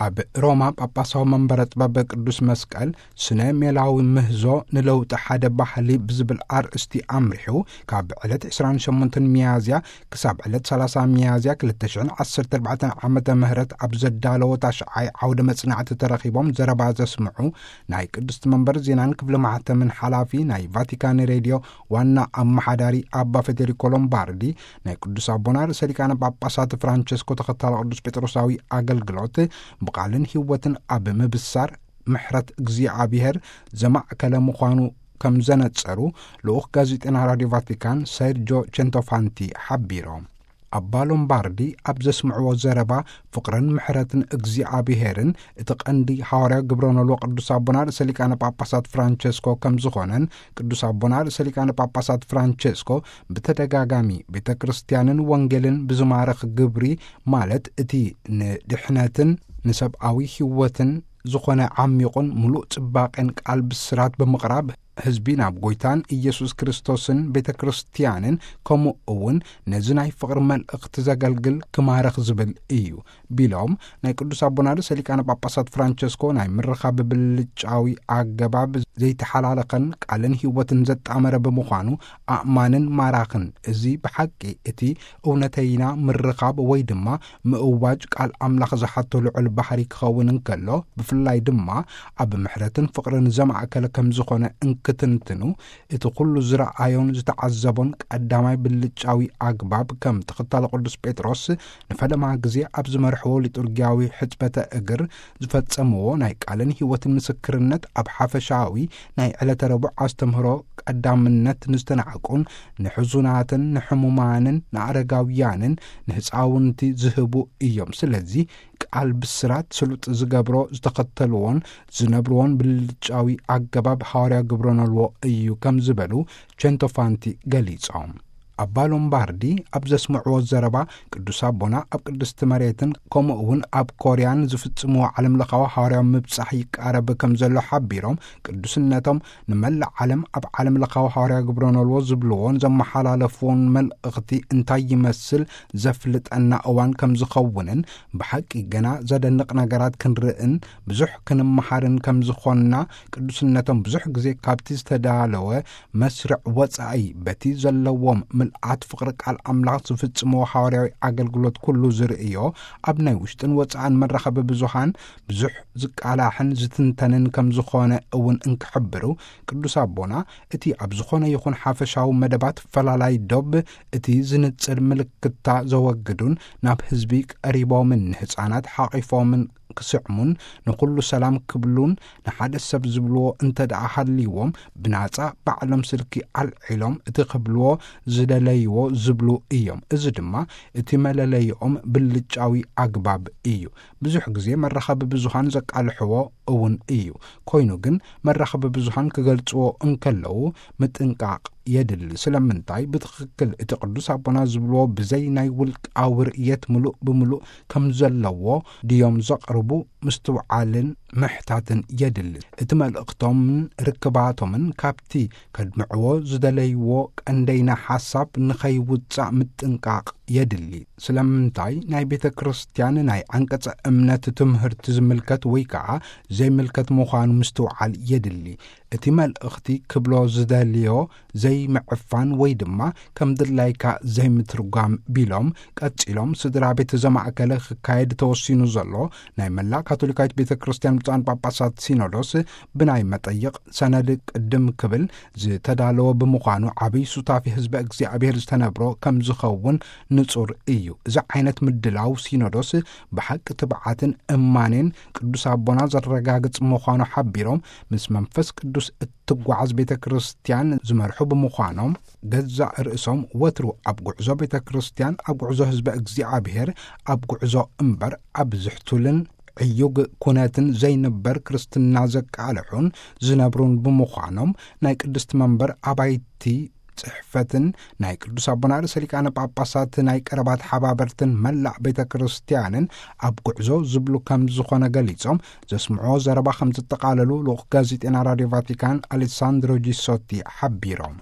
ኣብ ሮማ ጳጳሳዊ መንበረ ጥበብ ቅዱስ መስቀል ስነ ሜላዊ ምህዞ ንለውጢ ሓደ ባህሊ ብዝብል ኣርእስቲ ኣምሪሑ፣ ካብ ዕለት ዕስራን ሸሞንተን ሚያዝያ ክሳብ ዕለት ሰላሳ ሚያዝያ ክልተ ሽሕን ዓሰርተ ኣርባዕተን ዓመተ ምህረት ኣብ ዘዳለዎ ታሽዓይ ዓውደ መጽናዕቲ ተረኺቦም ዘረባ ዘስምዑ ናይ ቅድስቲ መንበር ዜናን ክፍሊ ማሕተምን ሓላፊ ናይ ቫቲካን ሬድዮ ዋና ኣመሓዳሪ ኣባ ፌዴሪኮ ሎምባርዲ፣ ናይ ቅዱስ ኣቦና ርእሰ ሊቃነ ጳጳሳት ፍራንቸስኮ ተኸታሊ ቅዱስ ጴጥሮሳዊ ኣገልግሎት ብቓልን ህይወትን ኣብ ምብሳር ምሕረት እግዚኣብሔር ዘማእከለ ምዃኑ ከም ዘነጸሩ ልኡኽ ጋዜጠና ራድዮ ቫቲካን ሰርጆ ቸንቶፋንቲ ሓቢሮም። ኣባ ሎምባርዲ ኣብ ዘስምዕዎ ዘረባ፣ ፍቕርን ምሕረትን እግዚኣብሔርን እቲ ቀንዲ ሃዋርያ ግብረ ኖልዎ ቅዱስ ኣቦና ርእሰ ሊቃነ ጳጳሳት ፍራንቸስኮ ከም ዝኾነን፣ ቅዱስ ኣቦና ርእሰ ሊቃነ ጳጳሳት ፍራንቸስኮ ብተደጋጋሚ ቤተ ክርስቲያንን ወንጌልን ብዝማረኽ ግብሪ፣ ማለት እቲ ንድሕነትን ንሰብኣዊ ህይወትን ዝኾነ ዓሚቑን ምሉእ ጽባቄን ቃል ብስራት ብምቕራብ፣ ህዝቢ ናብ ጎይታን ኢየሱስ ክርስቶስን ቤተ ክርስቲያንን ከምኡ እውን ነዚ ናይ ፍቕሪ መልእኽቲ ዘገልግል ክማረኽ ዝብል እዩ ቢሎም፣ ናይ ቅዱስ ኣቦና ርእሰ ሊቃነ ጳጳሳት ፍራንቸስኮ ናይ ምርኻብ ብብልጫዊ ኣገባብ ዘይተሓላለኸን ቃልን ህይወትን ዘጣመረ ብምዃኑ ኣእማንን ማራኽን፣ እዚ ብሓቂ እቲ እውነተይና ምርኻብ ወይ ድማ ምእዋጅ ቃል ኣምላኽ ዝሓቶ ልዑል ባህሪ ክኸውን እንከሎ፣ ብፍላይ ድማ ኣብ ምሕረትን ፍቕርን ዘማእከለ ከም ዝኾነ እንክትንትኑ፣ እቲ ኩሉ ዝረኣዮን ዝተዓዘቦን ቀዳማይ ብልጫዊ ኣግባብ፣ ከም ተኸታሊ ቅዱስ ጴጥሮስ ንፈለማ ግዜ ኣብ ዝመርሕዎ ሊጡርጊያዊ ሕጽበተ እግር ዝፈጸምዎ ናይ ቃልን ህይወትን ምስክርነት፣ ኣብ ሓፈሻዊ ናይ ዕለተ ረቡዕ ኣስተምህሮ ቀዳምነት ንዝተናዕቁን ንሕዙናትን ንሕሙማንን ንኣረጋውያንን ንህፃውንቲ ዝህቡ እዮም። ስለዚ ቃል ብስራት ስሉጥ ዝገብሮ፣ ዝተኸተልዎን ዝነብርዎን ብልጫዊ ኣገባብ ሃዋርያ ግብረ ኖልዎ እዩ ከም ዝበሉ ቸንቶፋንቲ ገሊጾም። ኣባ ሎምባርዲ ኣብ ዘስምዕዎ ዘረባ፣ ቅዱስ ኣቦና ኣብ ቅድስቲ መሬትን ከምኡ እውን ኣብ ኮርያን ዝፍጽምዎ ዓለም ለኻዊ ሃዋርያዊ ምብጻሕ ይቃረብ ከም ዘሎ ሓቢሮም፣ ቅዱስነቶም ንመላእ ዓለም ኣብ ዓለም ለኻዊ ሃዋርያዊ ግብረ ኖልዎ ዝብልዎን ዘመሓላለፍዎን መልእኽቲ እንታይ ይመስል ዘፍልጠና እዋን ከም ዝኸውንን፣ ብሓቂ ገና ዘደንቕ ነገራት ክንርእን ብዙሕ ክንመሃርን ከም ዝኾንና፣ ቅዱስነቶም ብዙሕ ግዜ ካብቲ ዝተዳለወ መስርዕ ወጻኢ በቲ ዘለዎም ምልኣት ፍቕሪ ቃል ኣምላኽ ዝፍጽምዎ ሃዋርያዊ ኣገልግሎት ኩሉ ዝርእዮ፣ ኣብ ናይ ውሽጥን ወጻእን መራኸቢ ብዙሃን ብዙሕ ዝቃላሕን ዝትንተንን ከም ዝኾነ እውን እንክሕብሩ፣ ቅዱስ ኣቦና እቲ ኣብ ዝኾነ ይኹን ሓፈሻዊ መደባት ፈላላይ ዶብ እቲ ዝንጽር ምልክታ ዘወግዱን ናብ ህዝቢ ቀሪቦምን ንህፃናት ሓቒፎምን ክስዕሙን ንኹሉ ሰላም ክብሉን ንሓደ ሰብ ዝብልዎ እንተ ደኣ ሃልይዎም ብናጻ ባዕሎም ስልኪ ኣልዒሎም እቲ ክብልዎ ዝደለይዎ ዝብሉ እዮም። እዚ ድማ እቲ መለለይኦም ብልጫዊ ኣግባብ እዩ። ብዙሕ ግዜ መራኸቢ ብዙሃን ዘቃልሕዎ እውን እዩ። ኮይኑ ግን መራኸቢ ብዙሃን ክገልጽዎ እንከለዉ ምጥንቃቕ የድሊ። ስለምንታይ? ብትኽክል እቲ ቅዱስ ኣቦና ዝብልዎ ብዘይ ናይ ውልቃዊ ርእየት ምሉእ ብምሉእ ከም ዘለዎ ድዮም ዘቕርቡ? ምስትውዓልን ምሕታትን የድሊ። እቲ መልእኽቶምን ርክባቶምን ካብቲ ከድምዕዎ ዝደለይዎ ቀንደይና ሓሳብ ንኸይውጻእ ምጥንቃቕ የድሊ። ስለምንታይ? ናይ ቤተ ክርስቲያን ናይ ዓንቀጸ እምነት ትምህርቲ ዝምልከት ወይ ከኣ ዘይምልከት ምዃኑ ምስትውዓል የድሊ። እቲ መልእኽቲ ክብሎ ዝደልዮ ዘይምዕፋን ወይ ድማ ከም ድላይካ ዘይምትርጓም ቢሎም፣ ቀጺሎም ስድራ ቤት ዘማእከለ ክካየድ ተወሲኑ ዘሎ ናይ መላእ ካቶሊካዊት ቤተ ክርስቲያን ብፁዓን ጳጳሳት ሲኖዶስ ብናይ መጠይቕ ሰነድ ቅድም ክብል ዝተዳለወ ብምዃኑ፣ ዓብይ ሱታፊ ህዝበ እግዚኣብሔር ዝተነብሮ ከም ዝኸውን ንጹር እዩ። እዚ ዓይነት ምድላው ሲኖዶስ ብሓቂ ትብዓትን እማኔን ቅዱስ ኣቦና ዘረጋግጽ ምዃኑ ሓቢሮም፣ ምስ መንፈስ ቅዱስ እትጓዓዝ ቤተ ክርስቲያን ዝመርሑ ብምዃኖም፣ ገዛእ ርእሶም ወትሩ ኣብ ጉዕዞ ቤተ ክርስቲያን፣ ኣብ ጉዕዞ ህዝበ እግዚኣብሔር፣ ኣብ ጉዕዞ እምበር ኣብ ዝሕቱልን ዕዩግ ኩነትን ዘይንበር ክርስትና ዘቃልሑን ዝነብሩን ብምዃኖም፣ ናይ ቅድስቲ መንበር ኣባይቲ ጽሕፈትን ናይ ቅዱስ ኣቦና ርእሰ ሊቃነ ጳጳሳት ናይ ቀረባ ተሓባበርትን መላእ ቤተ ክርስቲያንን ኣብ ጉዕዞ ዝብሉ ከም ዝኾነ ገሊጾም፣ ዘስምዕዎ ዘረባ ከም ዝጠቓለሉ ልኡኽ ጋዜጠና ራድዮ ቫቲካን ኣሌሳንድሮ ጂሶቲ ሓቢሮም።